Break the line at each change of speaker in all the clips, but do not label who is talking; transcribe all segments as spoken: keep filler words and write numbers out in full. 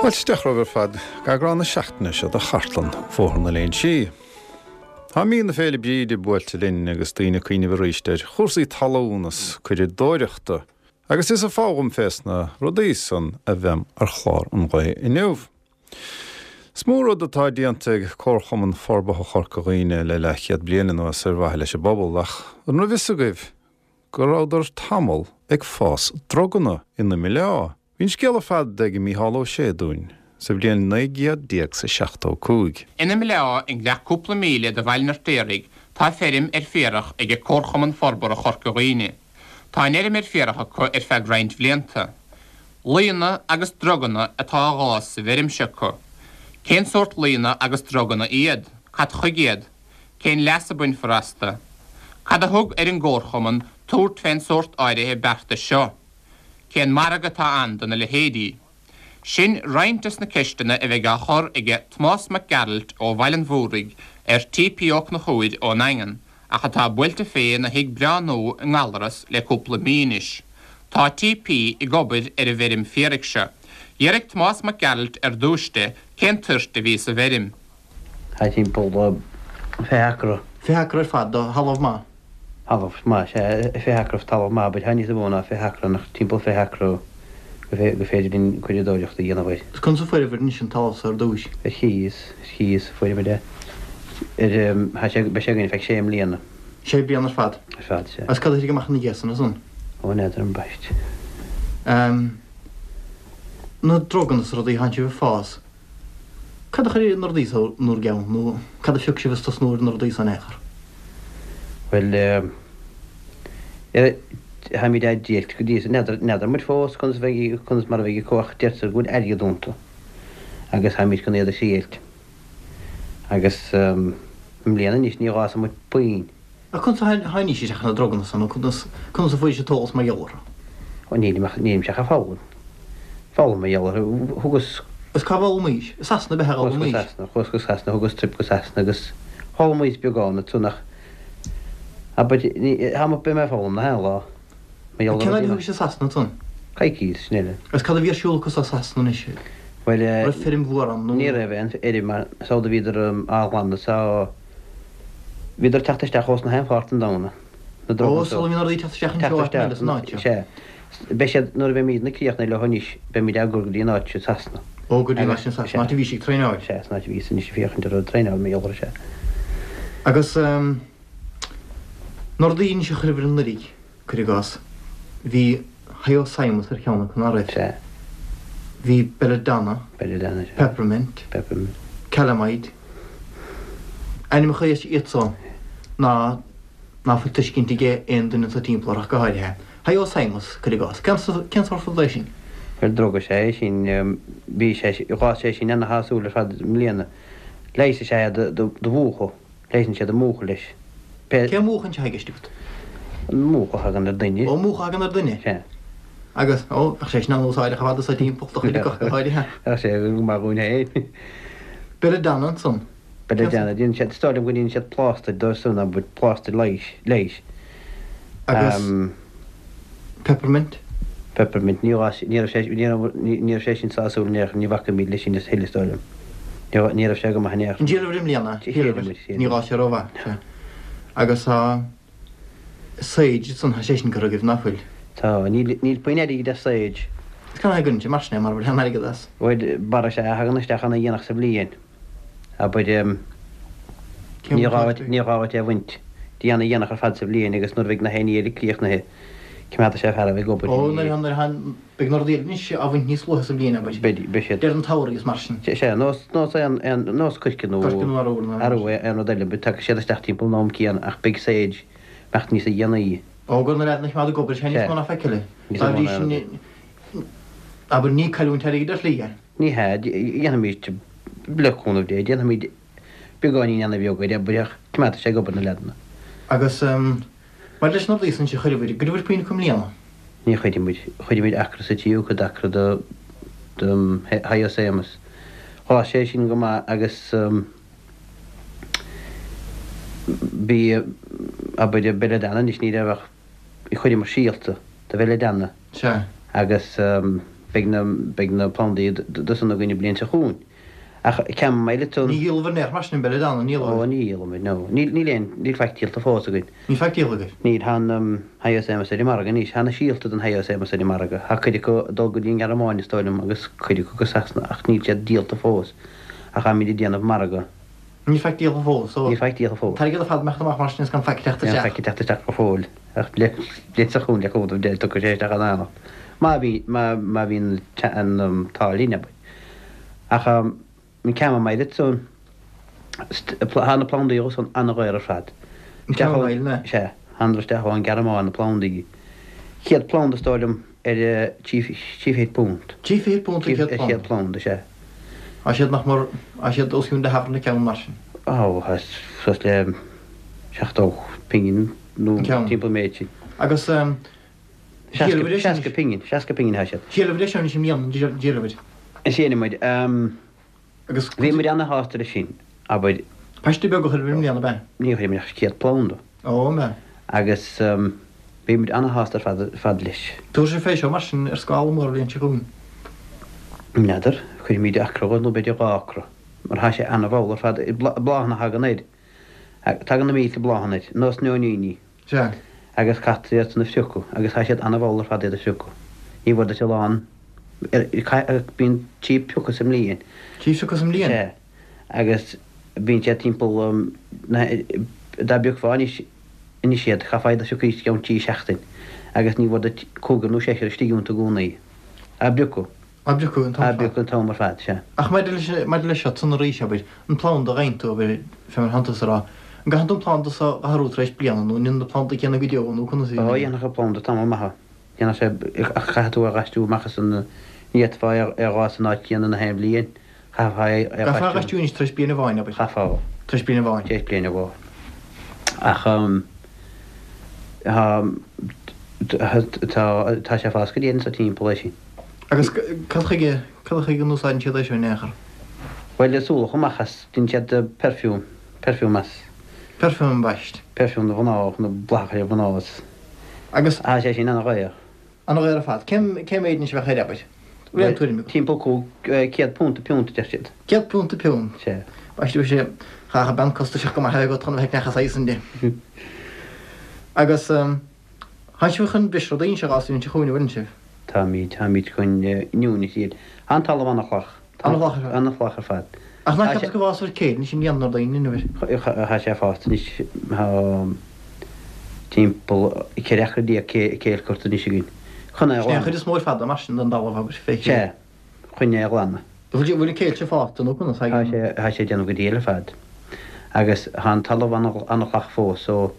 Fáilte isteach romhaibh ar fad go eagrán na seachtaine seo de Chartlann Bhóthar na Léinsí. Tá mí na Féile Bríde buailte linn agus daoine ag cuimhneamh arís ar chúrsaí talún is curadóireachta, agus is ag foghlaim fés na rudaí san a bheam ar chlár an lae inniu. Is mó rud atá déanta ag Comharchumann Forbartha Chorca Dhuibhne le leathchéad bliain anuas ar mhaithe leis an bpobal, ach an raibh fhios agaibh go rabhadar tamall ag fás druganna in Imleá. Bhí an scéal ar fad ag Mícheál Ó Sé dúinn sa bhliain naoi gcéad déag 's a seachtó cúig.
In Imleá i ngleac cúpla míle de Bhaile an Fheirtéaraigh tá feirm ar féarach ag Comharchumann Forbartha Chorca Dhuibhne. Tá an fheirm ar féarach acu ar feadh roinnt bhlianta. Laonna agus druganna atá á bhfás sa bhfeirm seo acu. Cén sórt laonna agus druganna iad? Cad chuige iad? Cén leas a bainfear astu? Cad a thug ar an gComharchumann tabhairt fén sórt áirithe beartais seo? Cén margadh atá ann do na leithéidí? Sin roinnt des na ceisteanna a bheidh á chur aige Tomás Mac Gearailt ó Bhaile an Mhúraigh ar T.P. Ó Conchúir ón nDaingean, ach atá buailte fé ina thigh breá nua i nGallaras le cúpla mí anois. Tá T.P. ag obair ar an bhfeirm féaraigh seo. D'fhiafraigh Tomás Mac Gearailt ar dtúis de cén toirt a bhí sa bhfeirm.
Tá timpeall fiche acra.
Fiche acra ar fad de thalamh maith.
Talamh maith, sea, fiche acra talamh maith, but tá níos mó ná fiche acra, nach timpeall fiche acra go féidir linn curadóireacht a dhéanamh air.
Is conas a fuaireabhair anois an talamh so ar dtúis?
Ar chíos, ar chíos a fuaireamar é. Ar, tá sé, beidh sé againn feadh sé mbliana.
Sé bliana ar fad?
Ar fad, sea.
Agus cad a thit amach ina dhiaidh san ansan?
Ó, n'fheadar ambaist.
Na druganna is rudaí a thánn sibh ag fás, cad a chuir na rudaí so in bhur gceann nó cad a phioc sibh is tosnú ar na rudaí so in aon chor?
Bhuel, táimid á dtriailt go dtí so, n'fheadar, n'fheadar muid fós conas a bheidh, conas mar a bheidh acu ach deirtear go bhfuil airgead iontu agus táimid chun iad a thriailt. Agus i mbliana anois ní dh'fhásfaidh muid puinn.
Ach conas a tháinís isteach ar na druganna san nó conas, conas a fuairis an t-eolas mar gheall orthu?
Ó nílim ach, nílimse ach ag foghlaim. Foghlaim mar gheall orthu. Thugas.
Is cá bhfoghlaimís? I Sasana ab ea a
Chuas go
d'fhoghlaimís?
Sasana, chuas go Sasana, thugas trip go Sasana agus d'fhoghlaimíos beagán ansan ach abair, ní, tá mé, beidh mé ag foghlaim na haon lá. Mar gheall
Cén
ar
fhaid a
rudaí
thugais i Sasana ansan?
Coicís, sin uile.
Agus cad a bhí ar siúl acu sa Sasana anois?
Bhuel,
An raibh feirm mhór ann nó?
Ní raibh aon fheirm ann, is amhlaidh a bhíodar á ghlanadh is á, bhíodar ag teacht isteach ós na haon pháirt den domhan, na
Ó,
druganna so.
sula mbíonn rudaí ag teacht isteach
Teacht
anseo áit
isteach,
eile san áit seo.
sea. Beidh siad, nuair a bheimidne críochnaithe leo anois, beimid á gcur go dtí an áit sin Sasana.
Ó, go dtí an áit
Agus,
sin Sasana,
sea.
áit a bhís ag traenáil.
Sea, san áit a bhíos anois ag féachaint ar an traenáil mar gheall air, sea.
Agus, na rudaí anois a chuireabhair anuraidh, cuir i gcás, bhí Hyoscyamus ar cheann acu, ná raibh?
Sea.
Bhí Belladonna.
Belladonna, sea.
Peppermint.
Peppermint.
Calamide. Ainmneacha iad san ná ná fuil tuiscint ag aon duine atá timpeall orthu ach go háirithe. Hyoscyamus, cuir i gcás. Cén cén sórt rud é sin?
Bhuel, druga is ea é sin. Bhí sé, dh'fhás sé sin ana-shásúil ar fad i mbliana. Leigheas is ea é do do mhúchadh. Leigheasann siad an múchadh leis. Pé.
Cén múchadh anseo i gceist agat?
An múchadh a thagann ar duine.
Ó, múchadh a thagann ar duine?
Sea.
Agus, ó, bheadh sé sin an-úsáideach ar fad anso timpeall do chuid acu ach go háirithe.
Bheadh sé go maith dhúinn féin.
Belladonna ansan.
Belladonna, déanann siad, is dóigh liom go ndéanann siad plástair dó san, abair, plástair leighis, leighis.
Agus peppermint?
Peppermint, ní raibh, ní raibh sé, ní raibh, ní raibh sé sin sásúil in aon chor, ní bhacfaimid leis sin a thuilleadh, is dóigh liom. Ní raibh, ní raibh sé go maith in aon chor.
An dtriailibh i mbliana?
Thriail muid, thriail
Ní
muid.
raibh sé rómhaith, sea. Agus tá sage ansan, tá sé sin curtha agaibh, ná fuil?
Tá, níl, níl puinn airgid as sage.
Is cén fáth a gcuireann sibh mar sin é, mara bhfuil aon airgead as?
Bhuel, barra is ea a thagann isteach ana-dhéanach sa bhliain. Abair,
Cén
ní gá
bhliain
dhuit, ní gá dhuit é a bhaint. Dtí ana-dhéanach ar fad sa bhliain agus nuair a bheidh na haon ní eile críochnaithe, coimeádfaidh sé fear a bheidh ag obair
Ó, nuair a, nuair a, beidh na rudaí eile anois á bhaint níos luaithe sa bhliain, abair.
Beidh, beidh siad.
Deireadh an tsamhraidh is mar sin.
Sea, nós, nós aon, aon, nós coirce nó.
Coirce nó arú nó.
Arú, aon rud eile, tagann siad isteach timpeall an am céanna ach beidh sage imeacht níosa dhéanaí.
Ó, go raibh na leaideanna a choimeád ag obair, sea, níos
Sea.
mó ná faic eile.
Níos
Dá
mó
bhrí
ná
sin, abair, ní cailliúint airgid ar shlí é.
Ní hea, déanfaimid, le cúnamh Dé, déanfaimid beagáinín ana-bheag air, abair, ach coimeádfaidh sé ag obair na leaideanna.
Agus maidir leis na rudaí san a chuireabhair, an gcuireabhair puinn acu i mbliana?
Ní chuirfidh muid. Chuir muid acra sa tríú cuid d'acra do, do Hyoscyamus. Dh'fhás sé sin go maith agus bhí, abair, Belladonna anois ní raibh ach, chuireamar síolta do Bhelladonna.
Sea.
Agus beidh na beidh na plandaí do san againn an bhliain seo chugainn. Ach chamomile ansan.
Ní dhíolfar in aon chor mar sin belladonna, ní
Ó ní dhíolfaimid, no. Níl níl aon níl faic díolta fós againn.
Níl faic díolta agaibh?
Níl, tá an Hyoscyamus ar an margadh anois, tá na síolta den Hyoscyamus ar an margadh. Tá cuid acu ag dul go dtí an Ghearmáin is dóigh liom agus cuid acu go Sasana ach níl siad díolta fós. Ach táimid ag déanamh margadh.
Níl faic díolta fós, so.
Níl faic díolta fós.
An t-airgead ar fad imeachta amach mar sin is gan faic ag teacht
Gan
isteach.
faic ag teacht isteach go fóill. Ach bliain seo chugainn le cúnamh Dé tiocfaidh sé isteach in éineacht. Má bhí má má bhíonn an t-ádh linn, abair. Ach an chamomile ansan tá na plandaí san an-dhaor ar fad.
An chamomile, ne?
Sea, thánadar isteach ón Ghearmáin na plandaí. Céad planda is dóigh liom ar trí trí fichid punt.
Trí fichid punt an chéad
An
planda?
chéad planda, sea.
Tá siad nach mór, tá siad os cionn leathabhair an ceann mar sin.
Ó, tá suas le seachtó pingin nó
An ceann.
timpeall an méid sin.
Agus
Seasca pingin, seasca pingin atá siad.
Dhíolabhair é seo anois i mbliana, dhíolabhair.
Is é muid.
Agus
Bhí muid ana-shásta leis sin, abair.
Paiste beag a chuir i mbliana, ab ea?
Ní chuir muid ach céad planda.
Ó, an ea?
Agus bhí muid ana-shásta ar fad fad leis.
Tabharfaidh sibh fé seo mar sin ar scála mór an bhliain seo chugainn.
N'fheadar, cuirfimid acra nó b'fhéidir dhá acra, mar tá sé ana-mhall ar fad, bláthanna a thagann air. Tagann na mílte bláthanna air, nós nóiníní.
Sea.
Agus caitear iad san a phriocadh, agus tá siad ana-mhall ar fad iad a phriocadh. Ní bhfuair duit a lán, bíonn trí piocadh sa mbliain.
Trí phiocadh sa mbliain?
Sea. Agus bíonn siad timpeall, dá bpiocfá anois, anois iad, chaithfeá iad a phiocadh i gceann trí seachtain, agus ní bhfuair duit cúigear nó seisear istigh iontu i gcónaí. Á bpiocadh.
Á bpiocadh an t-am
Á
ar fad.
bpiocadh an t-am ar fad, sea.
Ach maidir leis, maidir leis seo, san arís, abair, an planda a gheibheann tú, abair, fé mar atánn tusa a rá, an gcaitheann tú an planda so a athrú tar éis bliana, nó an ionann na plandaí céanna go deo, nó conas a
Ó, dhéanfadh an planda tamall maith. Dhéanfadh sé, ach chaithfeadh tú é a dh'aistriú amach as an, ní fhéadfá é a dh'fhás san áit chéanna na haon bhliain. Chaithfeá é a
Chaithfeá a
dh'aistriú.
dh'aistriú anois tar éis bliain amháin, abair.
Chaithfeá.
Tar éis bliain amháin.
Tar éis bliain amháin. Ach, tá, tá, tá sé ag fás go dian sa timpeall é sin.
Agus cad chuige, cad chuige a n-úsáideann siad é seo in aon chor?
Bhuel, is ualach amach as, déanann siad perfume, perfume as.
Perfume ambaist.
Perfume do mhná, nó bláthacha do mhná as.
Agus.
Tá sé sin ana-dhaor.
Ana-dhaor ar fad. Cén, cén méid anois a bheadh air, abair? Bhfuil aon tuairim agat?
Timpeall cúig, céad punt an piúnt a deir siad.
Céad punt an piúnt?
Sea.
Ambaist, bheadh sé, chaithfeadh bean costasach go maith a bheith agat chun a bheith ag neach saghas sin de. Agus, tánn sibh chun breis rudaí anois a dh'fhás an bhliain seo chugainn, an bhfuileann sibh?
Táimid, táimid chun inniu na tíre. Tá an talamh an-fhliuch.
An-fhliuch ar fad.
An-fhliuch ar fad.
Ach nach ceapas go bhfásfaidh céad anois i mbliana nuair daoine inniu air?
Tá sé fásta anois, tá timpeall ceithre acra déag céill curtha anois againn. Chun é a
Sin é an
ghlanadh.
chuid is mó ar fad mar sin den dtalamh abair, fé
Sea,
chéile.
chun é a ghlanadh.
Bhfuil bhfuil an céill seo fásta nó conas?
Tá sé, tá sé ag déanamh go diail ar fad. Agus tá an talamh an-fhliuch fós so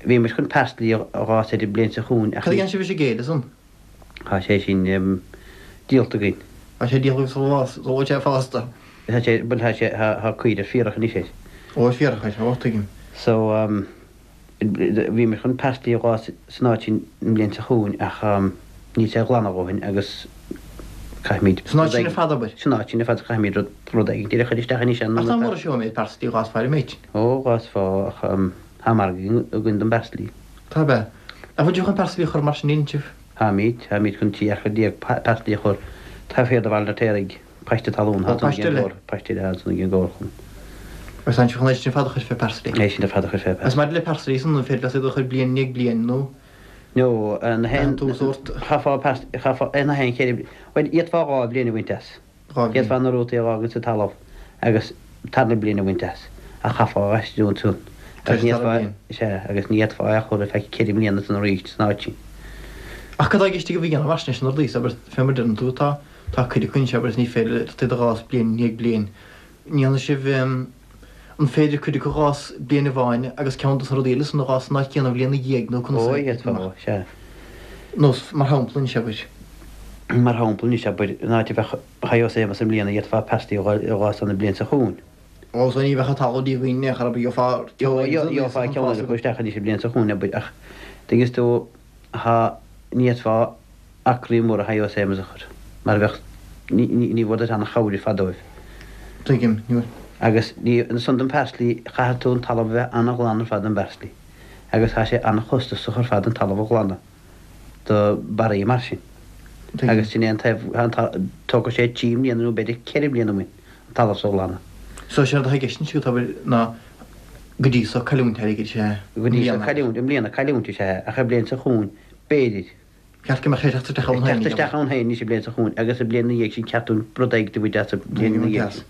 bhí muid chun parsley a dh'fhás air an bhliain seo chugainn ach
Cad a dhéanann sibh leis an gcéill ansan?
Tá sé sin díolta againn.
Tá sé díolta sula bhfuil sé fásta.
Tá sé, bhuel tá sé, tá caoire ar fíorach anois air.
Ó, ar fíorach air, ó, tuigim.
So bhí muid chun parsley a dh'fhás san áit sin an bhliain seo chugainn ach níl sé glan a dhóthain agus caithfimid
San áit sin ar fad, abair?
San áit sin ar fad caithfimid rud, rud éigin a chur isteach anois
Ach tá mór seo méid parsley dh'fhásfá ar an méid.
Ó, dh'fhásfá ach tá margadh againn don bparsley.
Tá ab ea? Ach bhfuil sibh chun parsley a chur mar sin inniu?
Táimid, táimid chun trí acra déag parsley a chur taobh thiar de Bhaile an Fheirtéaraigh, paiste talún,
Ó, paiste eile?
Paiste eile ansan ag an gcomharchumann.
Agus tánn sibh chun é sin ar fad a chur fé parsley?
É sin ar fad a chur fé parsley.
Agus maidir le parsley san, an féidir leat iad a chur bliain i ndiaidh bliain nó?
No, na haon,
Tú sórt.
chaithfeá parsley, chaithfeá, na haon cheithre, bhuel, d'fhéadfá dhá bhliain a bhaint as.
Dhá bhliain.
D'fhéadfá na rútaí a fhágaint sa talamh agus tarna bliain a bhaint as, ach chaithfeá a aistriú ansan.
Tar
Agus ní
éis dara
fhéadfá,
bliain.
sea, agus ní fhéadfá é a chur ar feadh ceithre mbliana ansan arís san áit sin.
Ach cad tá i gceist agaibh a dhéanamh mar sin leis na rudaí so, abair, fé mar a deireann tú, tá, tá cuid acu anseo, abair, is ní féidir leat iad a dh'fhás bliain i ndiaidh bliain. An ndéanfaidh sibh, an féidir cuid acu a dh'fhás bliain amháin agus ceann dos na rudaí eile san a dh'fhás san áit chéanna an bhliain ina dhiaidh nó conas
Ó,
a,
d'fhéadfá, sea.
Nós, mar shampla anois, abair.
Mar shampla anois, abair, an áit a bheadh Hyoscyamus i mbliana, d'fhéadfá parsley a dh'fhás ann an bhliain seo chugainn.
Ó, so ní bheadh an talamh díomhaoin in aon chor, abair, gheofá ceann eile
Gheofá ceann eile a chur isteach anois an bhliain seo chugainn, abair, ach tuigeann tú, thá, ní fhéadfá acraí móra Hyoscyamus a chur, mar bheadh, ní, ní, ní bhfuair duit an-chabhair ar fad dóibh.
Tuigim, ní bhfuair.
Agus ní, ansan don parsley, chaithfeadh tú an talamh a bheith an-ghlan ar fad don bparsley. Agus tá sé an-chostasach ar fad an talamh a ghlanadh do barraí mar sin. Agus sin é an taobh, tógfaidh sé trí mbliana nó b'fhéidir ceithre bliana uainn an talamh so a ghlanadh.
So séard atá i gceist anois agat, abair, ná go dtí so cailliúint airgid is ea
i Go dtí so cailliúint, i mbliana cailliúint is ea é, ach an bhliain seo chugainn, b'fhéidir.
Ceart go mbeadh sé ag teacht isteach ann
féin. Ag teacht isteach ann féin anois an bhliain seo chugainn agus an bhliain ina dhiaidh sin ceart dúinn rud éigin a bhaint as an bhliain ina dhiaidh sin.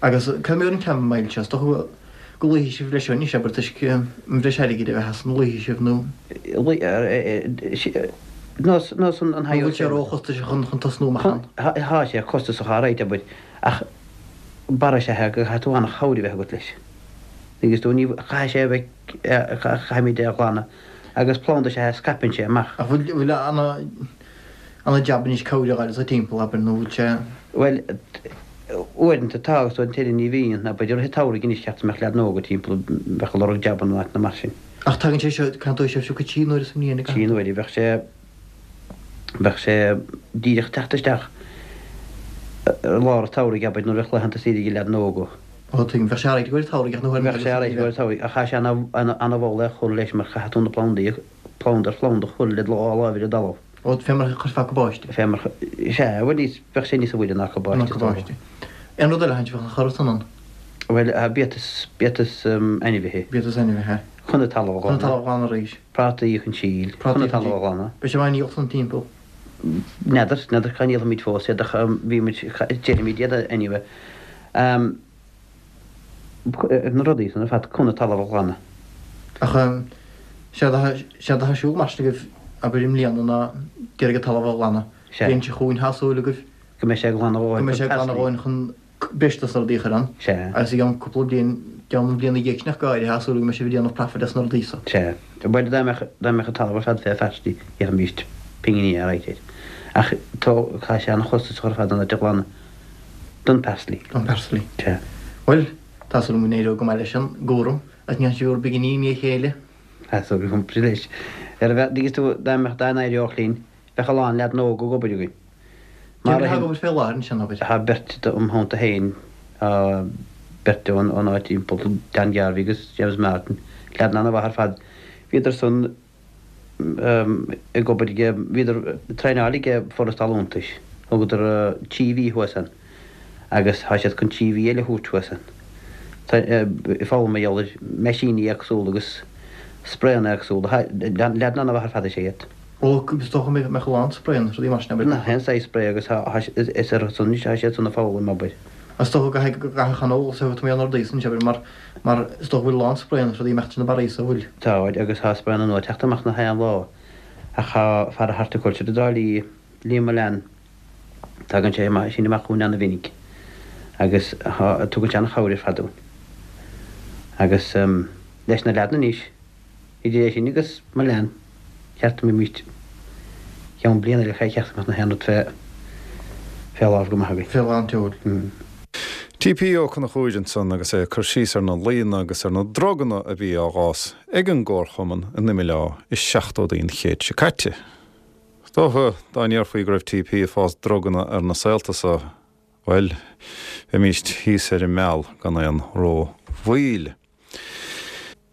Agus cad é mar an chamomile seo, is dócha go luífidh sibh leis seo anois, abair, toisc an bhreis airgid a bheith as, an luífidh sibh nó.
Nós an
Nó bhfuil sé róchostasach chun tosnú amach ann?
Tá sé costasach alright, abair, ach barra is ea é go gcaithfidh tú an-chabhair a bheith agat leis. Agus tú, ní, caithfidh sé a bheith, caithfimid é a ghlanadh agus planda is ea é, scaipeann sé amach.
Ach bhfuil, bhfuil ana, ana-jab anois cabhair a fháil as timpeall, abair, nó bhfuil sé.
Bhuel, uaireanta tá agus uaireanta eile ní bhíonn, abair, i rith an tsamhraidh anois cheart go mbeadh leaideanna óga timpeall, bheadh ag lorg jabanna in áiteanna mar sin.
Ach tagann sé seo, caithfidh sibh seo trí n-uaire sa mbliain,
Trí n-uaire, bheadh sé, bheadh sé díreach teacht isteach i lár an tsamhraidh, abair, nuair a bheadh laethanta saoire ag na leaideanna óga.
Ó, tuigim, bheadh sé alright i gcomhair an tsamhraidh ach ní
Bheadh sé alright i gcomhair an tsamhraidh ach tá sé ana-mhall é a chur leis mar chaithfidh tú na plandaí, planda ar phlanda a chur le do dhá láimh ar an dtalamh.
Ó, fé mar a chuirfeá cabáiste.
Fé mar, sea, bhuel níos, bheadh sé níos moille ná cabáiste,
Ná cabáiste. Aon rud eile a bheadh á chur san ann?
Bhuel, biatas, biatas ainmhithe.
Biatas ainmhithe.
Chun an talamh a
ghlanadh. Chun an talamh a ghlanadh arís.
Prátaí chun síl. Chun an talamh a ghlanadh.
Beidh sibh á ndíol san timpeall.
N'fheadar, n'fheadar cá ndíolfaimid fós iad ach bhí muid, déarfaimid iad anyway. Na rudaí san ar fad chun an talamh a ghlanadh.
Ach séard atá, séard atá ar siúl mar sin agaibh, abair i mbliana ná d'iarraidh an talamh a ghlanadh.
Sea.
Bliain seo chugainn tá súil agaibh.
Go mbeidh sé glan a dhóthain
Go mbeidh sé glan a dhóthain chun breis dos na rudaí a chur ann.
Sea.
Agus i gceann cúpla bliain, ceann an bhliain ina dhiaidh sin ach go háirithe, tá súil go mbeidh sibh ag déanamh profit as na rudaí so.
Sea. Bhuel, dá mbeadh, dá mbeadh an talamh ar fad fé pharsley, gheobhaimis pinginí alright air. Ach tá, tá sé an-chostasach ar fad an áit a ghlanadh don parsley.
Don parsley.
Sea.
Bhuel, tá súil agam go n-éireoidh go maith leis an gcúram agus go ndéanfaidh sibh bhur bpinginí i ndiaidh a chéile.
Tá súil agam leis. Ar a bheadh, tuigeann tú, dá mbeadh, dá n-éireodh linn, bheadh a lán leaideanna óga ag obair againn.
Cé mhéad atá ag obair fé láthair ansin, abair?
Tá beirt im theannta féin, tá beirt ón áit timpeall, Dan Garvey agus James Martin, leaideanna ana-mhaith ar fad. Bhíodar san ag obair ag, bhíodar ag traenáil ag Foras Talúntais, thugadar trí mhí thuas ann agus tá siad chun trí mhí eile a thabhairt thuas ann. Ag foghlaim mar gheall ar meaisíní éagsúla agus spraenna éagsúla. Leaideanna ana-mhaith ar fad is ea iad.
Ó, is dócha go mbeadh a lán spraenna is rudaí mar sin, abair.
Gach aon saghas spray agus is ar son atá siad san ag foghlaim, abair.
Is dócha go gcaithfidh go gcaithfeadh an eolas a thabhairt na rudaí san, abair, mar mar is dócha go bhfuil a lán spraenna is rudaí imeacht sna barraí so bhfuil.
Tá, agus tá spraenna nua ag teacht amach nach aon lá ach tá fear horticulture i dTrá Lí, Liam Mullane, tagann sé amach sin amach chugainn ana-mhinic agus tugann sé an-chabhair ar fad dúinn. Agus leis na leaideanna anois, Idir é sin agus Mullane, cheart go mbeimid ceann bliana eile cheart go mbeadh na haon rud fé fé lámh go maith againn.
Fé lán tseoil.
TP Ó Conchúir ansan agus é ag cur síos ar na laonna agus ar na druganna a bhí á bhfás ag an gComharchumann in Imil Átha i seachtóidí an chéid seo caite. Is dócha dá ndéarfaí go raibh TP ag fás druganna ar na saolta so, bhuel, bheimíst thíos ar an meal gan aon ró-mhoill.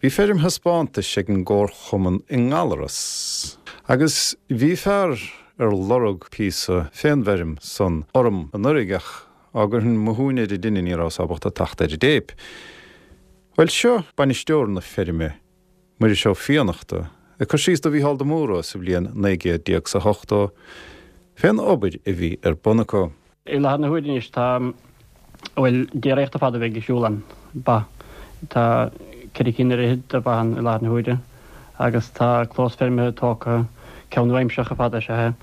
Bhí feirm thaispeántais ag an gComharchumann i nGallaras agus bhí fear ar lorg píosa fén bhfeirm san orm anuraidh ach á gcuirfinn mo shúin ar an duine ní rabhas ábalta teacht ar an dtéip. Bhuel seo bainisteoir na feirme, Muiris Ó Fiannachta, ag cur síos do Mhícheál de Mórdha sa bhliain naoi gcéad déag 's a hochtó fén obair a bhí ar bun acu.
I láthair na huaire anois tá, bhuel, déiríocht ar fad a bheidh ag siúl ann, ba. Tá ceithre cinn ar fhichead de ba ann i láthair na huaire agus tá clós feirme tógtha, ceann nua-aimseartha ar fad is ea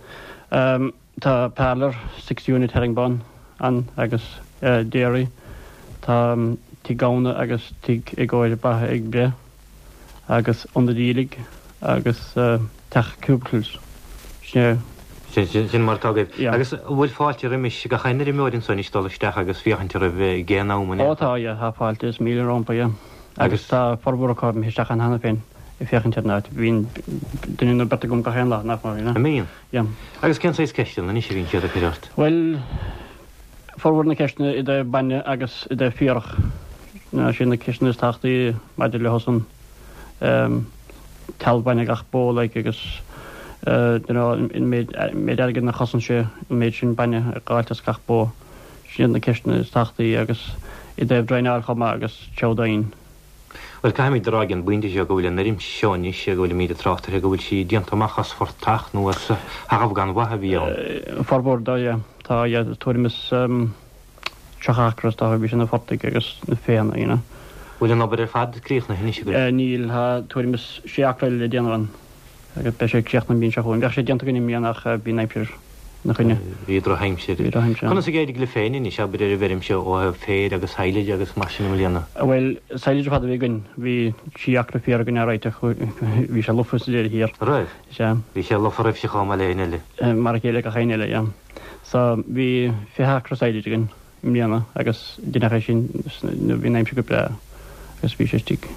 é. Tá parlour six unit herringbone ann agus dairy. Tá tigh gamhna agus tigh i gcomhair ba ag breith agus ionad aoiligh agus teach cubicles. Sin é.
Sin mar atá agaibh.
Yeah.
Agus an bhfuil fáilte roimis gach aon fheirmeoir anso anois dul isteach agus féachaint oraibh ag aon am in
Ó
aon
tá, yeah, tá fáilte is míle rompu, yeah. Agus tá formhór acu imithe isteach ann cheana féin ag féachaint ar an áit. Bíonn duine nó beirt agam gach aon lá, nach mór, you know.
An mbíonn?
Yeah.
Agus cén saghas ceisteanna anois a bhíonn siad ag cur ort?
Bhuel, formhór na ceisteanna i dtaobh bainne agus i dtaobh fiarach. Ná sin na ceisteanna is tábhachtaí maidir leo san. Talamh bainne gach bó like agus You know, an méid méid airgid a chosain sé an méid sin bainne a dh'fháilt as gach bó. Sin iad na ceisteanna is tábhachtaí agus i dtaobh draenáil chomh maith agus seabhdáin.
Bhuel, caithfimid a rá ag an bpointe seo go bhfuil an fheirm seo anois, go bhfuilimid ag trácht uirthi, go bhfuil sí déanta amach as phortach nó as thalamh gan mhaith a bhí ann.
Formhór dó, yeah. Tá, yeah, tuairim is tríocha acra is dócha, bhí sé na phortaigh agus na féanna, you know.
Bhfuil an obair ar fad críochnaithe anois agaibh?
Níl, tá tuairim is sé acra eile le déanamh ann agus beidh sé críochnaithe an bhliain seo chugainn. Bheadh sé déanta againn i mbliana ach bhí an aimsir ina choinne.
Bhí drochaimsir.
Bhí drochaimsir ann.
Conas ag éirigh libh féin anois, abair, ar an bhfeirm seo ó thaobh féir agus silage agus mar sin i mbliana?
Bhuel, silage ar fad a bhí againn. Bhí trí acra féir againn alright ach bhí sé lofa sa deireadh thiar.
Raibh?
Sea.
Bhí sé lofa roimhse chomh maith le éinne eile?
Mar a chéile gach éinne eile, yeah. So, bhí fiche acra silage againn i mbliana agus deineadh é sin nuair bhí an aimsir go breá agus bhí sé istigh,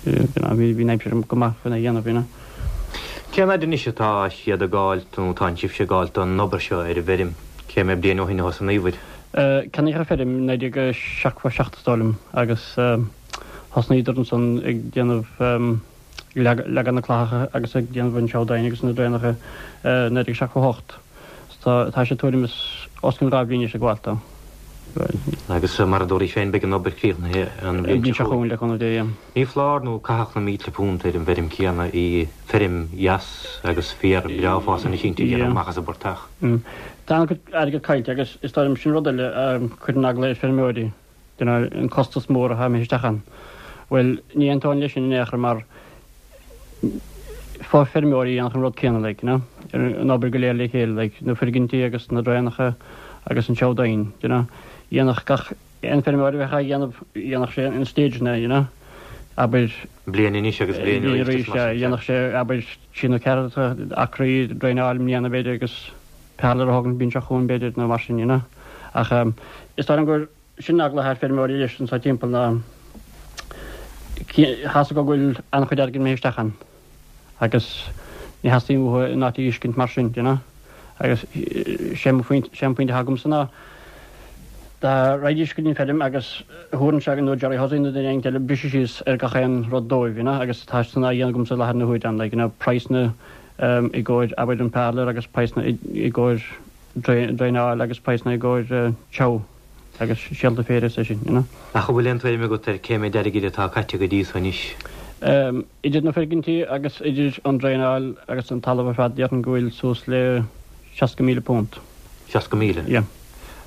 you know, bhí an aimsir go maith chun é a dhéanamh, you know.
Cén fhad anois atá siad ag gabháil, nó tá sibhse ag gabháil don obair seo ar an bhfeirm? Cé mhéad bliain ó shin a thosnaíobhair?
Ceannaíodh an feirm i naoi déag seachtó a seacht is dóigh liom agus thosnaíodar ansan ag déanamh, ag leagan na clathacha agus ag déanamh an seabhdáin agus na draenacha naoi déag seachtó a hocht. Tá tá sé tuairim is os cionn dhá bhliain anois ag gabháil dó.
Agus mar a dúraís féin, beidh an obair críochnaithe an bhliain seo
chugainn, le cúnamh Dé, yeah.
Ní foláir nó caitheadh na mílte punt ar an bhfeirm chéanna í, feirm dheas agus féar breá ag fás anois inti, déanamh amach as an bportach.
Tá an-chuid airgead caillte agus is dóigh liom sin rud eile a chuireann eagla ar feirmeoirí, you know, an costas mór atá imithe isteach ann. Bhuel, ní aontóinn leis sin in aon chor mar feirmeoirí a dhéanfadh an rud céanna, like, you know, an obair go léir le chéile, like, na foirgintí agus na draenacha agus an seabhdán, you know. Dhéanfadh gach aon feirmeoir a bheadh á dhéanamh, dhéanfadh sé in stageanna, you know, abair.
Bliain anois agus bliain arís,
sea, dhéanfadh sé, abair, trí nó ceathair acraí draenáil i mbliana, b'fhéidir, agus parlour a thógaint an bhliain seo chugainn, b'fhéidir, nó mar sin, you know. Ach is dóigh liom gur sin an eagla atá ar feirmeoirí anois anso timpeall ná tá 's acu go bhfuil an-chuid airgid imithe isteach ann agus ní theastaíonn uathu an áit a fheiscint mar sin, do you know. Agus sé mo phointe, sé an pointe atá agamsa ná dá raghaidís go dtí an feirm agus thabharfainnse nó Jerry Hussey nó duine éigin eile briseadh síos ar gach aon rud dóibh, you know, agus tá san á dhéanamh agamsa i láthair na huaire ann, like, you know, praghsanna i gcomhair abair an parlour agus praghsanna i gcomhair draenáil agus praghsanna i gcomhair treabhadh agus síolta féir is é sin, you know.
Ach an bhfuil aon tuairim agat ar cé méid airgid atá caite go dtí so anois?
Idir na foirgintí agus idir an draenáil agus an talamh ar fad déarfainn go bhfuil suas le seasca míle punt.
Seasca míle?
Yeah.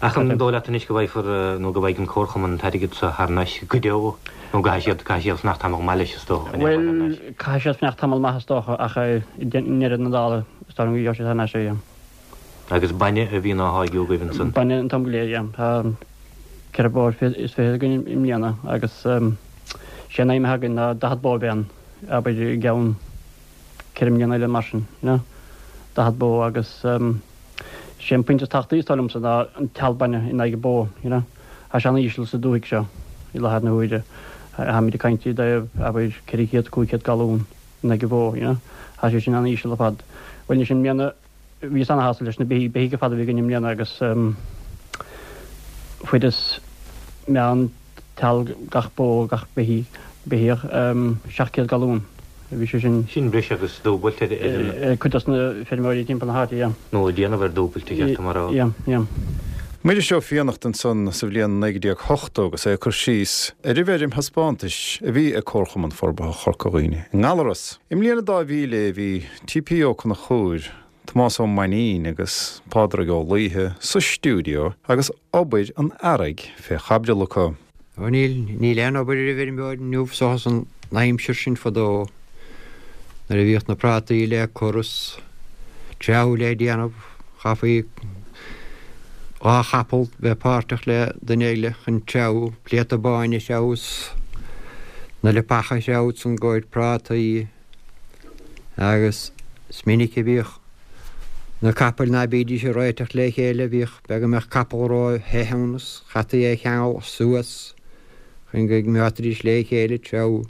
Ach an dóigh leat anois go bhfaighfear nó go bhfaighidh an Comharchumann an t-airgead so thar n-ais go deo nó go gcaithfidh siad, caithfidh siad fanacht tamall maith leis is dócha chun é a fháil thar
n-ais? Bhuel, caithfidh siad fanacht tamall maith is dócha ach i ndeireadh na dála is dóigh liom go gheobhaidh siad thar n-ais é, yeah.
Agus bainne a bhíonn á tháirgeadh agaibh ansan?
Bainne an t-am go léir, yeah. Tá ceithre bó is fiche againn i mbliana agus sé an aidhm atá againn ná daichead bó a bheith ann, abair i gceann ceithre mbliana eile mar sin, you know. Daichead bó agus sé an pointe is tábhachtaí is dóigh liomsa ná an teall bainne in aghaidh bó, you know. Tá sé an-íseal sa dúthaigh seo i láthair na huaire. Táimid ag caint i dtaobh abair ceithre chéad, cúig chéad galún in aghaidh bó, you know. Tá sé sin an-íseal ar fad. Bhuel anois i mbliana Bhíos ana-shásta leis na beithígh, beithígh ar fad a bhí againn i mbliana agus fuaireas meán teall gach bó, gach beithígh, beithíoch, seacht gcéad galún. Bhí sé sin.
Sin breis agus dúbailt ar an.
Ar cuid dos na feirmeoirí timpeall na háite, yeah.
Nó ag déanamh ar dúbailt, ba cheart dom a rá.
Yeah, yeah.
Muiris Ó Fiannachta ansan sa bhliain naoi déag ochtó agus é ag cur síos ar an bhfeirm thaispeántais a bhí ag Comharchumann Forbartha Chorca Dhuibhne i nGallaras. I mbliain a dá mhíle bhí T P Ó Conchúir, Tomás Ó Mainnín agus Pádraig Ó Laoithe sa stiúideo agus obair an earraigh fé chaibidil acu.
Ó níl, níl aon obair ar an bhfeirmeoir inniu seachas an aimsir sin fadó nuair a bhíodh na prátaí le cur is treabhadh le déanamh, chaithfí dhá chapall bheith páirteach le duine eile chun treabhadh, pléata báin a threabhadh is na leapacha a threabhadh san i gcomhair prátaí agus is minic a bhíodh na capaill ná bídís ag réiteach le chéile, bhíodh, b'fhéidir go mbeadh capall ró-the ann is chaití é a cheangal suas chun go gcoimeádfaidís le chéile treabhadh.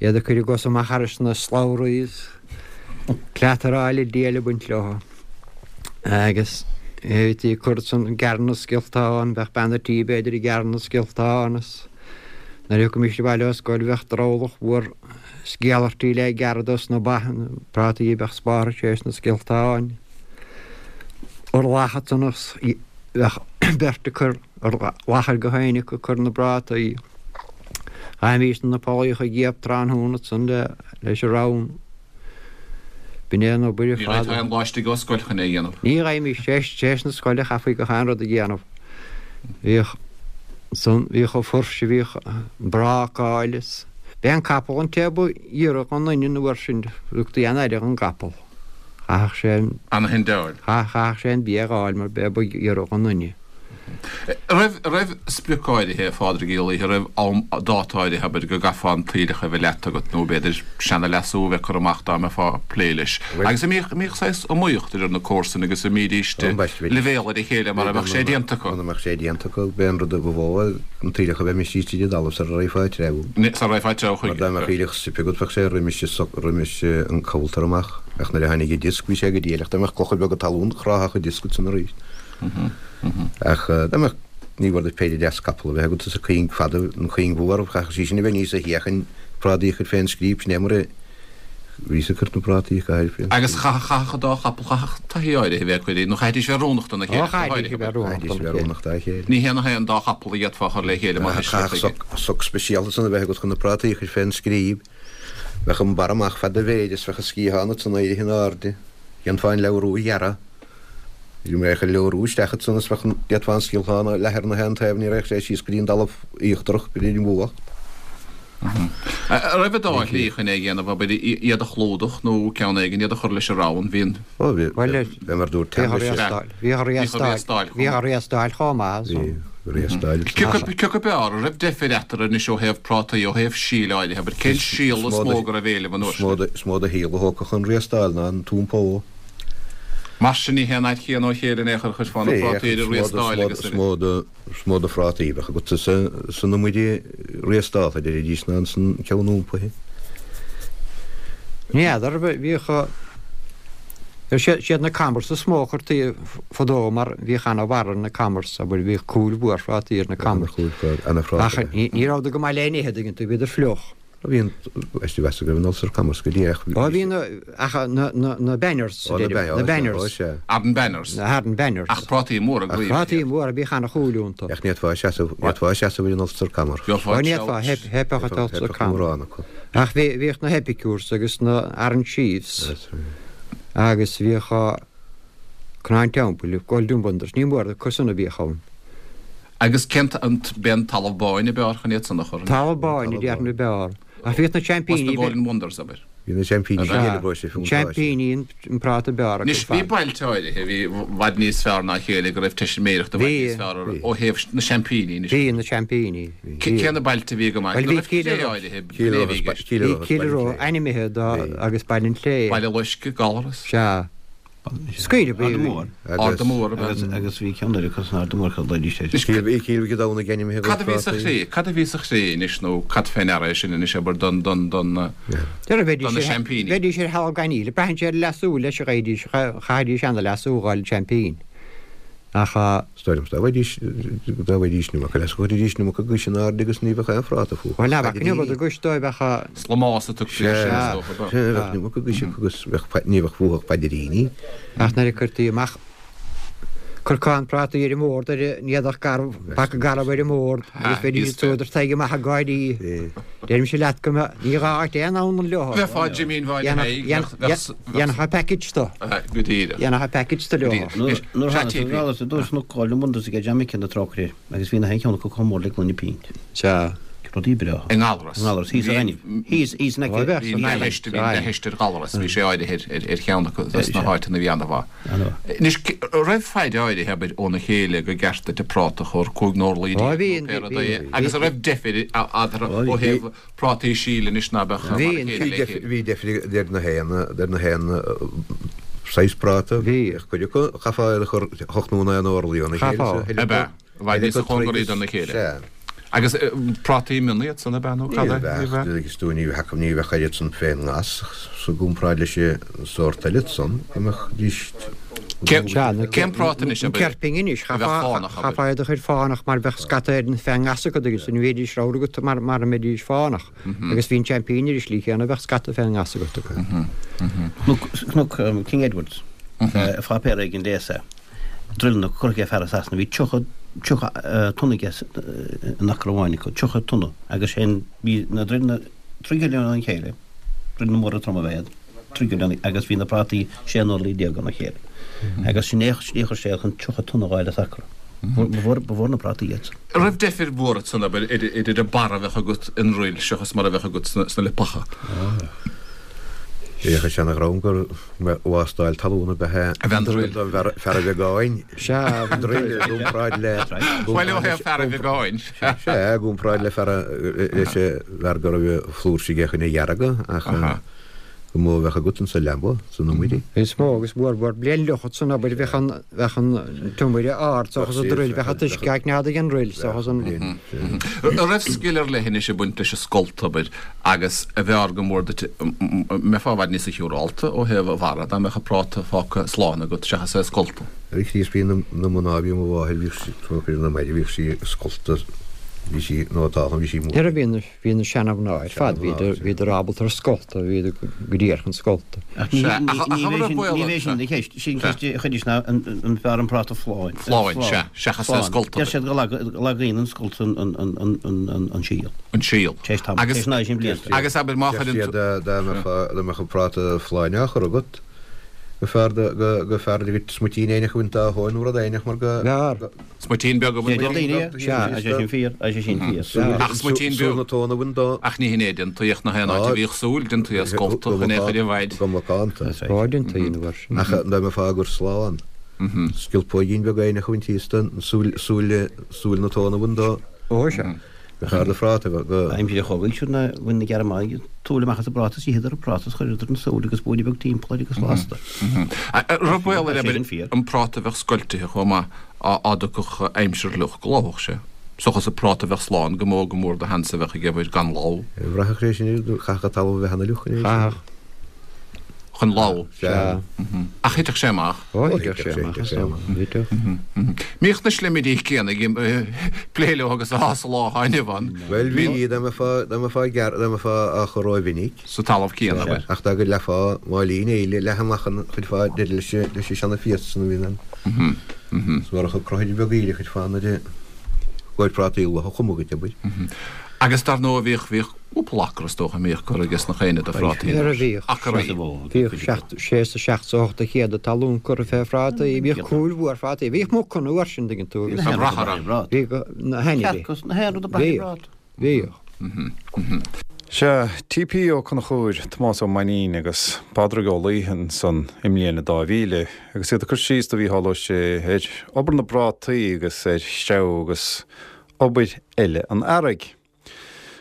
Iad ag cur a gcosa amach thairis na slabhraí is cleataráil an diabhail ag baint leo. Agus bhítí ag cur san gearradh na scioltán, bheadh bean a' tí b'fhéidir ag gearradh na scioltán is nuair a thiocfaimis abhaile ó scoil bheadh drabhlach mhór sceallartaí le gearradh dos na ba, na prátaí a bheadh spártha théis na scioltáin. Urlacha ansan bheadh beirt ag cur urlacha go haon acu ag cur na bprátaí. Chaithimís na pollaíocha a ghiobadh tráthnóna ansan leis an rann. B'in é an obair ar
Ní
fad.
raibh aon lá istigh ó scoil chun é a dhéanamh.
Ní raghaimís théis na scoile chaithfí gach aon rud a dhéanamh. Bhíodh san, bhíodh an fuirse, bhíodh brácáil is b'é an capall an té ba ghiorra dhon duine an uair sin, thugtaí an-aire dhon gcapall. Chaithfeadh sé an.
Ana-thindeáil.
Chaithfeadh sé an bia a dh'fháil mar b'é ba ghiorra dhon duine.
Raibh, raibh sprioc áirithe, a Phádraig Uí Laoithe, raibh am, dáta áirithe, abair, go gcaithfeá an t-aoileach a bheith leata agat nó b'fhéidir seana-leasú a bheith curtha amach dá mbeifeá ag plé leis. Agus an mbíodh, an mbíodh saghas iomaíocht idir na comharsana agus an mbídíst leibhéal ar a chéile mara mbeadh sé déanta acu?
Muna mbeadh sé déanta acu, b'é an rud a ba mhó an t-aoileach a bheith imithe síos tríd an dtalamh sara raghfá ag treabhadh.
Sara raghfá ag treabhadh chuige.
Mar dá mbeadh aoileach soip agat bheadh sé roimis an, roimis an coulter amach ach nuair a tháinig an disc bhí sé go diail ach dá mbeadh clocha beaga talún chráfadh an disc ansan arís. Ach dá mbeadh, ní mhór duit péire deas capall a bheith agat is an chuing fada, an chuing mhór, chaithfeadh sí sin a bheith níos a sheachain prátaí a chur fén scríob, sin é mar a bhíos ag cur na prátaí a chaitheamh fén
Agus chaithfeadh an dá chapall, chaithfeadh taithí áirithe a bheith acu, nó chaithfidís bheith oiriúnach dona chéile,
Ó, chaithfidís a bheith oiriúnach
Chaithfidís a bheith oiriúnach dá chéile.
Ní haon haon dá chapall a d'fhéadfá a chur le chéile mar
Chaithfeadh soc, soc speisialta san a bheith agat chun na prátaí a chur fén scríob. Bheadh an barra amach fad do mhéide is bheadh an sciathán ansan éirithe in airde. Dhéanfá an leabhrú a ghearradh. Bhí mé ag leabhrú isteach ansan is bheadh an, d'fhéadfá an sciathán a leathadh ar na haon taobh, ní raghadh sé síos go dtí an talamh íochtarach, go dtí an mhullach.
An raibh an dá shlí chun é a dhéanamh, abair, iad a chlúdach nó ceann éigin iad a chur leis an rann, bhí an.
Ó, bhí,
Bhuel,
bhí mar dúirt
bhíodh
Tam leis.
riastáil, bhíodh riastáil, bhíodh riastáil chomh maith
Bhí, riastáil.
Cé acu b'fhearr, an raibh deifir eatarthu anois ó thaobh prátaí, ó thaobh síl áirithe, abair, cén síol is mó go raibh éileamh an uair sin?
Is mó de shíol a thógfadh an riastáil ná an t-iompó.
Mar sin ní haon fhad chéanna ó chéile in aon chor a chuirfeá na prátaí ar an riastáil agus ar
Is mó de is mó de phrátaí a bheadh agat san iomaire riastálta, a deiridís, ná san ceann iompaithe.
Ní fheadar, bhíodh siad na Camars is mó a chuirtí fadó mar bhíodh ana-bharr ar na Camars, abair, bhíodh cúil mhór phrátaí ar na Camars. Ach ní rabhadar go maith le n-ithe, tuigeann tú, bhíodar fliuch.
Bhí an, is mheas go raibh an Ulster Camars go dtí ach
Ó bhí na, ach na, na, na Banners,
Ó, na
deirim, na
Banners,
Banners.
ó sea.
Arden Banners.
Na Arden Banners.
Ach prátaí móra
Ach prátaí móra, bhíodh ana-chúil iontu.
Ach ní fhéadfá seasamh, ní fhéadfá seasamh ar an Ulster Camar.
Ó ní fhéadfá, theip, theipfeadh an Ulster Camar.
Mórán acu.
Ach bhí, bhíodh na Epicures agus na Arden Chiefs agus bhíodh Cnáin Teampaill, Golden Wonders, ní mór acu san a bhíodh ann.
Agus cén an b'é an talamh báin a b'fhearr chun iad san a chur?
Talamh báin a déarfainn a b'fhearr. Ach bhíodh na seaimpíní.
Os na Golden Wonders, abair.
Bhí na seaimpíní
Sea,
sin eile sé fiúntáiste.
Seaimpíní an práta b'fhearr acu
Anois bhí
fad.
bailte áirithe a bhí i bhfad níos fearr ná a chéile go raibh teisiméireacht i bhfad
Bhí.
níos fearr orthu ó thaobh na seaimpíní anois.
Bhí na seaimpíní.
Cé cé na bailte a bhí go maith?
Bhuel
Nó
bhí
raibh
Cill
cré
Rois.
áirithe,
Cill
b'é a
Rois,
bhí i gceist.
Cill
Bhí
Rois,
Cill
Baile
Rois ainmnithe dá agus Baile an Chlé.
Baile Loiscthe, Gallarus.
Sea. Scaoileadh
Arda Mór.
Arda Mór,
Agus agus bhí ceann eile acu san Arda Mór cad leidís air.
Cill Cill Mhic Domhnaigh ainmnithe
Cad a bhí sa chré? Cad a bhí sa chré anois nó cad fé ndeara é sin anois abair don don don
Deir bheidís
don na
ar
seaimpíní.
bheidís ar thalamh gaineamh, braitheann sé ar leasú leis a ghaidís, chaithfidís ana-leasú a dh'fháil seaimpín. Ach
Is dóigh liom dá bhfaighidís dá bhfaighidís an iomarca leasú chuiridís an iomarca guais in airde agus ní bheadh aon phráta fúthu.
Bhuel, ná bheadh an iomarca guais dóibh ach
Slamás a tugtaí air sin, is dócha, ba.
Sea, bheadh an iomarca guais acu agus bheadh ní bheadh fúthu ach paidiríní.
Ach nuair a cuirtí amach corcán prátaí ar an mbord ar an éadach garbh, paca garbh ar an mbord agus bheidís ag sodar tagtha amach ag gáirí. Deirimse leat go mbeadh, ní gá duit aon anlann leo.
Bheifeá Jimín Bhaile Thaidhg, bheadh,
Dhéanfá package dó.
Go díreach.
Dhéanfá package de leo.
Nuair tháinig an Gallarus ar dtús na Golden Wonders ag John Mickey na trócaire agus bhí na haon cheann acu chomh mór le gloine pint.
Sea.
Rudaí breátha.
I nGallarus.
I nGallarus, thíos ar ainm. Thíos, thíos in aice.
Bhí leithéid, bhí leithéid ar Ghallarus, bhí sé áirithe ar, ar cheann acu dos na háiteanna a bhí ana-mhaith. Anois, raibh faid áirithe, abair, óna chéile go gceart duit an práta a chur, cúig n-orlaí
Ó,
déag
bhí,
nó pé rud
bhí,
é,
bhí.
agus an raibh deifir eatarthu ó thaobh prátaí síl anois ná beadh mar a chéile le chéile.
Bhí deifir idir na haon, idir na haon saghas práta. Bhí. Cuid acu, chaithfeá iad a chur hocht nó naoi n-orlaí óna chéile.
Chaithfeá.
Ab ea? Bhí níos cóngaraí dona chéile.
Sea.
Agus prátaí mion iad san ab ea nó cad é?
Ní bheadh, agus tú ní bheadh ní bheadh oiread san fén ngas sa gcomparáid leis an sórt eile san, go mbeadh dís
Cén práta anois
An ceirpín anois, chaithfeá iad a chur fánach mar bheadh scata ar feadh ngas acu agus ní bheidís ramhar agat mar a mbeidís fánach. Agus bhí an seaimpín ar an slí chéanna, bheadh scata feadh ngas agat acu.
Cnoc King Edwards, pháipéar éigin léas é. Druileanna curtha ag fear i Sasana, bhí tríocha tríocha tonna aige in acra amháin acu, tríocha tonna agus sin bhí na druileanna trí chéile óna chéile, druileanna móra troma ab ea iad. trí chéile agus bhí na prátaí sé n-orlaí déag óna chéile. Agus sin é slí a chuir sé chun tríocha tonna a dh'fháil as acra. Ba mhór, ba mhór na prátaí iad san.
An raibh deifir mhór ansan, abair, idir an barra a bheadh agat i ndruil seachas mar a bheadh agat sna lipeacha?
Bhíodh an seana-dhream gur wástáil talún ab ea
A bheith an druil.
don bhfear fear a bheagáin.
Sea,
Druil i gcomparáid le.
Bhuel, ó thaobh fear a bheagáin.
Sea, i gcomparáid le fear a, leis an bhfear go raibh flúirse aige chun a dheargadh ach. Go mó a bheadh agat insa leaba, san iomaire.
Is mó agus mhór mhór bliain fhliuch san obair bheadh an bheadh an t-iomaire ard seachas an druil bheadh an t-uisce ag nead ag an druil seachas an.
An raibh scil ar leith anois ag baint leis an scolt, abair, agus arbh fhearr go mór duit, mbeifeá i bhfad níosa shiúrálta ó thaobh an bharra dá mbeadh an práta fágtha slán agat seachas é a scoltadh?
Ar Chríost bhí na mná bhí mo mháthair bhíodh sí, na maide bhíodh sí ag scoltadh bhí sí nótálta bhí sí mór.
Nuair a bhí na Bhí na seana-mhná ar fad, bhíodar ábalta ar scoltadh, bhíodar go díreach chun scolta.
Ach ní bheidh sin ina cheist. Sin ceist a chuiris ná an fearr an práta folláin.
Folláin, sea, seachas é scolta.
Deir siad go lagaíonn an scolt an síol.
An síol.
Tar éis tamaill, tar éis an sin blianta.
Agus abair má chuireann
tú. Deir siad dá mbeadh an práta folláin á chur agat, go fearr go fearr duit smuitín éineach a bhaint dá thóin nó rud éineach mar go.
B'fhearr.
Smuitín beag a bhaint.
Deir daoine é. Sea, tá sé sin fíor, tá sé sin fíor.
Ach smuitín beag.
Súil na tóna a bhaint dó.
Ach ní hin é, déantaí ach nach aon áit a bhíodh súil, déantaí é a scoltadh chun é a chur i bhfaid.
Go macánta.
Ó, déantaí ina bharr sin.
Ach dá mbeifeá á gcur slán. Sciolpóigín beag éineach a bhaint thíos den súil, súil, súil na tóna a bhaint dó.
Ó, sea.
Go fearr do phráta go.
Aimsir an chogaidh siúd ná bhain na Gearmánaigh an tsúil amach as an bpráta is itheadar an práta is chuireadar an tsúil agus buaine beag timpeall air agus lasta.
An raibh baol air abair an práta a bheadh scoiltithe chomh maith dá dtiocfadh aimsir fhliuch go lobhfadh sé. Seachas an práta a bheadh slán go mó go mór de sheans a bheadh ag obair gan lobhadh.
Bhraithfeadh sé sin chaithfeadh an talamh a bheith ana fhliuch.
Chaithfeadh.
Chun lobhadh.
Sea.
Ach thitfeadh sé amach.
Ó, thitfeadh sé amach, is dócha. Thitfeadh.
Mbíodh na slimirí céanna ag plé leo agus atá sa lá atá inniu ann.
Bhuel, bhí, dá mbeifeá, dá mbeifeá gearr, dá mbeifeá á chur rómhinic.
Sa talamh céanna, abair.
Ach dá go leathfá máilín eile leath amach an chuirfeá deireadh leis, leis an seana-phiast san a bhíonn ann. Is murach an cruthaire beag aoire a chuirfeá ann ar a gcóir prátaí luath a chumadh duit, abair.
Agus dar ndóigh bhíodh, bhíodh cúpla acra is dócha a mbíodh curtha aige sna chaoine de phrátaí
Nuair a bhíodh.
Acraí.
Bhíodh seacht, sé is a seacht is a ocht de chéad talún curtha fé phrátaí. Bhíodh cuail mhór phrátaí. Bhíodh muca an uair sin, tuigeann tú, agus.
Ag brath orthu.
Bhíodh na hainmhithe.
Cearca, na haon rud ag brath ar
Bhíodh. Bhíodh.
Sea, T P Ó Conchúir, Tomás Ó Mainnín agus Pádraig Ó Laoithe ansan i mbliain a dá mhíle agus iad ag cur síos do Mhícheál Ó Sé ar obair na bprátaí agus ar threabhadh agus obair eile an earraigh.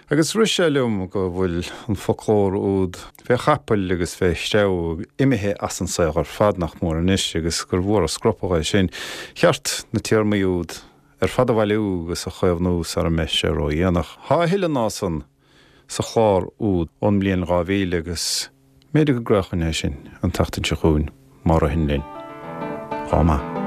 Agus rith sé liom go bhfuil an foclóir úd fé chapaill agus fé threabhadh imithe as an saol ar fad nach mór anois agus gur mhór an scropadh é sin. Cheart na téarmaí úd ar fad a bhailiú agus a chaomhnú sara mbeidh sé ródhéanach. Tá a thuilleadh ná san sa chlár úd ón mbliain dhá mhíle agus b'fhéidir go gcraolfainn é sin an tseachtain seo chugainn má ritheann linn. Chomh maith.